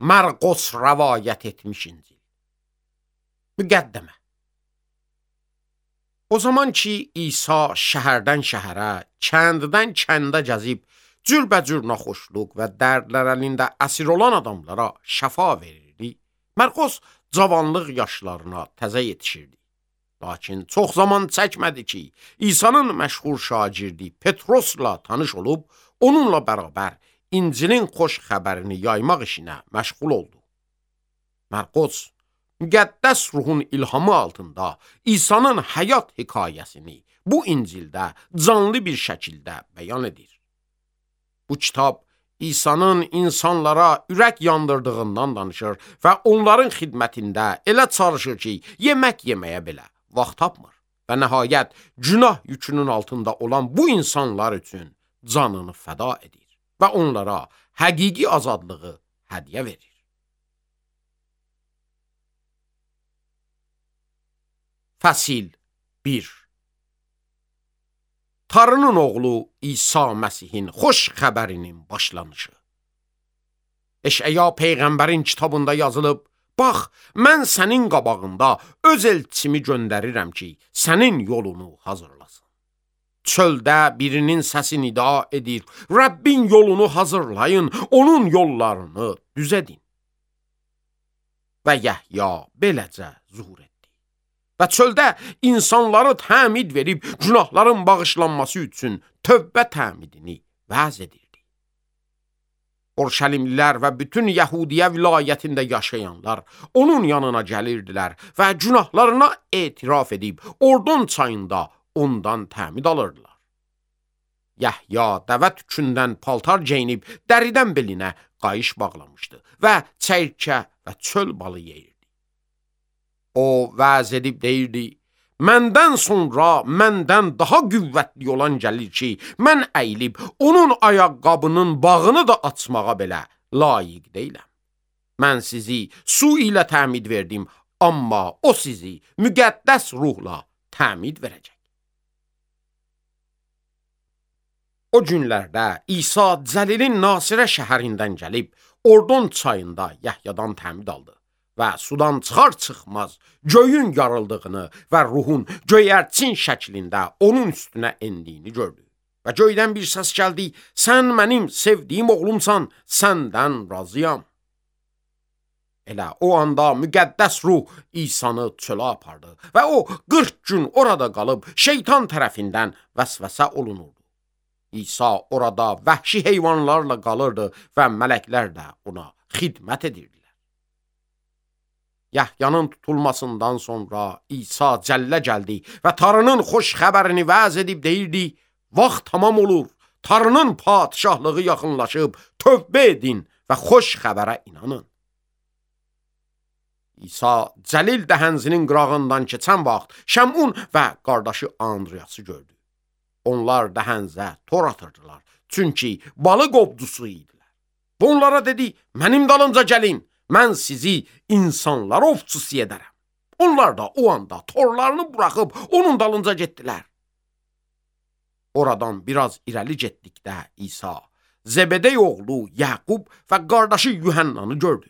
Marqos rəvayət etmiş İncil. Müqəddəmə. O zaman ki, İsa şəhərdən şəhərə, kənddən kəndə gəzib, cürbəcür naxoşluq və dərdlər əlində əsir olan adamlara şəfa verirdi, Marqos cavanlıq yaşlarına təzə yetişirdi. Lakin çox zaman çəkmədi ki, İsa'nın məşhur şagirdi Petrosla tanış olub, onunla bərabər İncilin xoş xəbərini yaymaq işinə məşğul oldu. Marqos, müqəddəs ruhun ilhamı altında İsa'nın həyat hekayəsini bu İncildə canlı bir şəkildə bəyan edir. Bu kitab İsa'nın insanlara ürək yandırdığından danışır və onların xidmətində elə çalışır ki, yemək yeməyə belə vaxt tapmır və nəhayət günah yükünün altında olan bu insanlar üçün canını fəda edir və onlara həqiqi azadlığı hədiyyə verir. Fəsil 1. Tanrının oğlu İsa Məsihin xoş xəbərinin başlanışı. Eşəya Peyğəmbərin kitabında yazılıb, bax, mən sənin qabağında öz elçimi göndərirəm ki, sənin yolunu hazırlasın. Çöldə birinin səsi nida edir, Rəbbin yolunu hazırlayın, onun yollarını düz edin. Və Yəhya beləcə zuhur etdi. Və çöldə insanları təmid verib, günahların bağışlanması üçün tövbə təmidini vəz edirdi. Orşəlimlilər və bütün Yəhudiyə vilayətində yaşayanlar onun yanına gəlirdilər və günahlarına etiraf edib, Ordon çayında ondan təmid alırdılar. Yəhya dəvə tükündən paltar geyinib, dəridən belinə qayış bağlamışdı və çəyirkə və çöl balı yeyirdi. O vəz edib deyirdi, məndən sonra məndən daha qüvvətli olan gəlir ki, mən əyilib onun ayaqqabının bağını da açmağa belə layiq deyiləm. Mən sizi su ilə təmid verdim, amma o sizi müqəddəs ruhla təmid verəcək. O günlərdə İsa Cəlilin Nasirə şəhərindən gəlib, Ordon çayında Yəhyadan təmid aldı. Və sudan çıxar-çıxmaz göyün yarıldığını və ruhun göyərçin şəklində onun üstünə endiyini gördü. Və göydən bir səs gəldi, sən mənim sevdiyim oğlumsan, səndən razıyam. Elə o anda müqəddəs ruh İsa'nı çölə apardı və o 40 gün orada qalıb şeytan tərəfindən vəsvəsə olunurdu. İsa orada vəhşi heyvanlarla qalırdı və mələklər də ona xidmət edirdi. Yəhyanın tutulmasından sonra İsa cəllə gəldi və Tanrının xoş xəbərini vəz edib deyirdi, vaxt tamam olur, Tanrının padişahlığı yaxınlaşıb, tövbə edin və xoş xəbərə inanın. İsa Cəlil dəhənzinin qırağından keçən vaxt Şəmun və qardaşı Andriyası gördü. Onlar dəhənzə tor atırdılar, çünki balıq ovdusu idilər. Onlara dedi, mənim dalınca gəlin. Mən sizi insanlar ovçusu edərəm. Onlar da o anda torlarını buraxıb onun dalınca getdilər. Oradan biraz irəli getdikdə İsa, Zebedey oğlu Yaqub və qardaşı Yuhannanı gördü.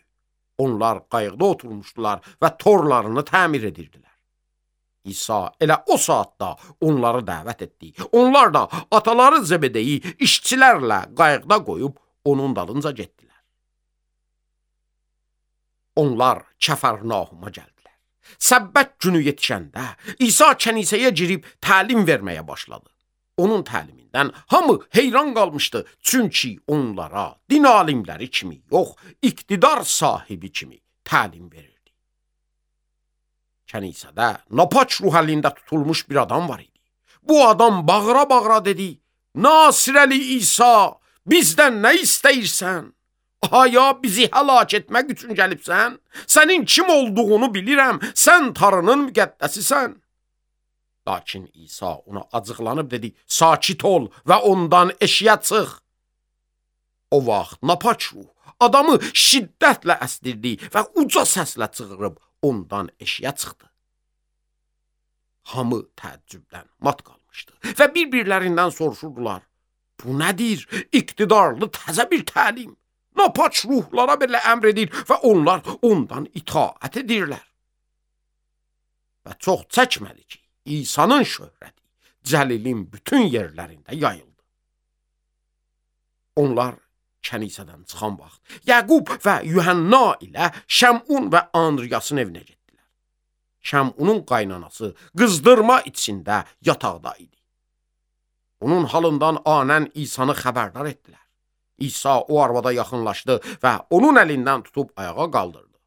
Onlar qayıqda oturmuşdular və torlarını təmir edirdilər. İsa elə o saatda onları dəvət etdi. Onlar da ataları Zebedeyi işçilərlə qayıqda qoyub onun dalınca getdilər. Onlar Kəfərnahuma gəldilər. Səbbət günü yetişəndə İsa kənisəyə girib təlim verməyə başladı. Onun təlimindən hamı heyran qalmışdı, çünki onlara din alimləri kimi yox, iqtidar sahibi kimi təlim verirdi. Kənisədə napaç ruh əlində tutulmuş bir adam var idi. Bu adam bağıra-bağıra dedi, Nasirəli İsa, bizdən nə istəyirsən? Aya bizi həlak etmək üçün gəlibsən? Sənin kim olduğunu bilirəm, sən Tanrının müqəddəsisən. Lakin İsa ona acıqlanıb dedi, sakit ol və ondan eşiyə çıx. O vaxt napaç ruh adamı şiddətlə əsdirdi və uca səslə çığırıb ondan eşiyə çıxdı. Hamı təəccübdən mat qalmışdı və bir-birlərindən soruşurdular, bu nədir? İqtidarlı təzə bir təlim. napaç ruhlara belə əmr edir və onlar ondan itaət edirlər. Və çox çəkmədi ki, İsa'nın şöhrəti Cəlilin bütün yerlərində yayıldı. Onlar kənisədən çıxan vaxt Yaqub və Yuhanna ilə Şəmun və Andriyasın evinə getdilər. Şəmunun qaynanası qızdırma içində yataqda idi. Onun halından anən İsa'nı xəbərdar etdilər. İsa o arvada yaxınlaşdı və onun əlindən tutub ayağa qaldırdı.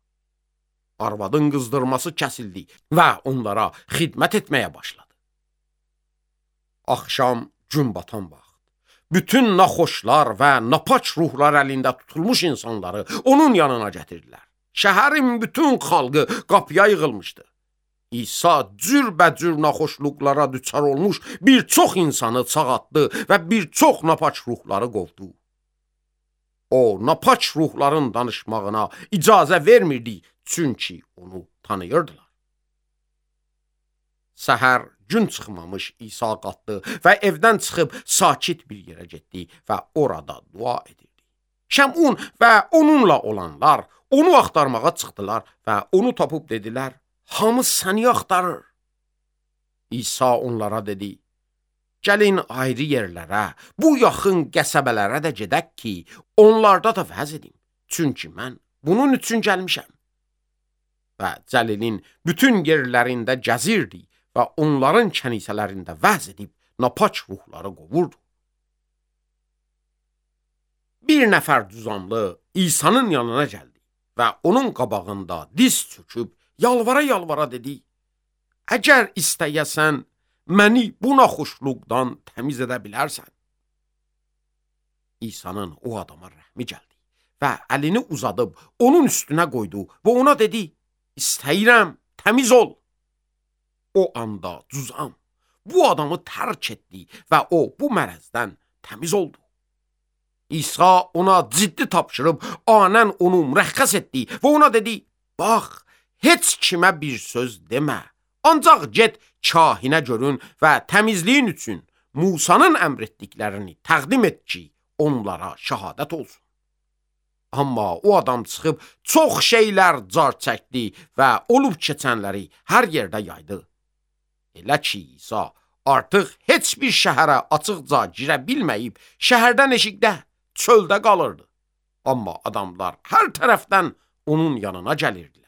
Arvadın qızdırması kəsildi və onlara xidmət etməyə başladı. Axşam gün batan vaxt, bütün naxoşlar və napaç ruhlar əlində tutulmuş insanları onun yanına gətirdilər. Şəhərin bütün xalqı qapıya yığılmışdı. İsa cürbəcür naxoşluqlara düçar olmuş bir çox insanı sağaltdı və bir çox napaç ruhları qovdu. O, napaç ruhların danışmağına icazə vermirdi, çünki onu tanıyırdılar. Səhər gün çıxmamış İsa qalxdı və evdən çıxıb sakit bir yerə getdi və orada dua edirdi. Şəmun və onunla olanlar onu axtarmağa çıxdılar və onu tapıb dedilər, hamı səni axtarır. İsa onlara dedi, gəlin ayrı yerlərə, bu yaxın qəsəbələrə də gedək ki, onlarda da vəz edim. Çünki mən bunun üçün gəlmişəm. Və Cəlilin bütün yerlərində gəzirdi və onların kənisələrində vəz edib napaç ruhları qovurdu. Bir nəfər düzamlı İsa'nın yanına gəldi və onun qabağında diz çöküb yalvara-yalvara dedi, əgər istəyəsən, məni bu naxoşluqdan təmiz edə bilərsən. İsa'nın o adama rəhmi gəldi və əlini uzadıb onun üstünə qoydu və ona dedi, istəyirəm, təmiz ol. O anda cüzam bu adamı tərk etdi və o bu mərəzdən təmiz oldu. İsa ona ciddi tapşırıb anən onu mürəxxəs etdi və ona dedi, bax, heç kimə bir söz demə, ancaq get kahinə görün və təmizliyin üçün Musanın əmr etdiklərini təqdim et ki, onlara şəhadət olsun. Amma o adam çıxıb çox şeylər car çəkdi və olub keçənləri hər yerdə yaydı. Elə ki, İsa artıq heç bir şəhərə açıqca girə bilməyib, şəhərdən eşikdə, çöldə qalırdı. Amma adamlar hər tərəfdən onun yanına gəlirdi.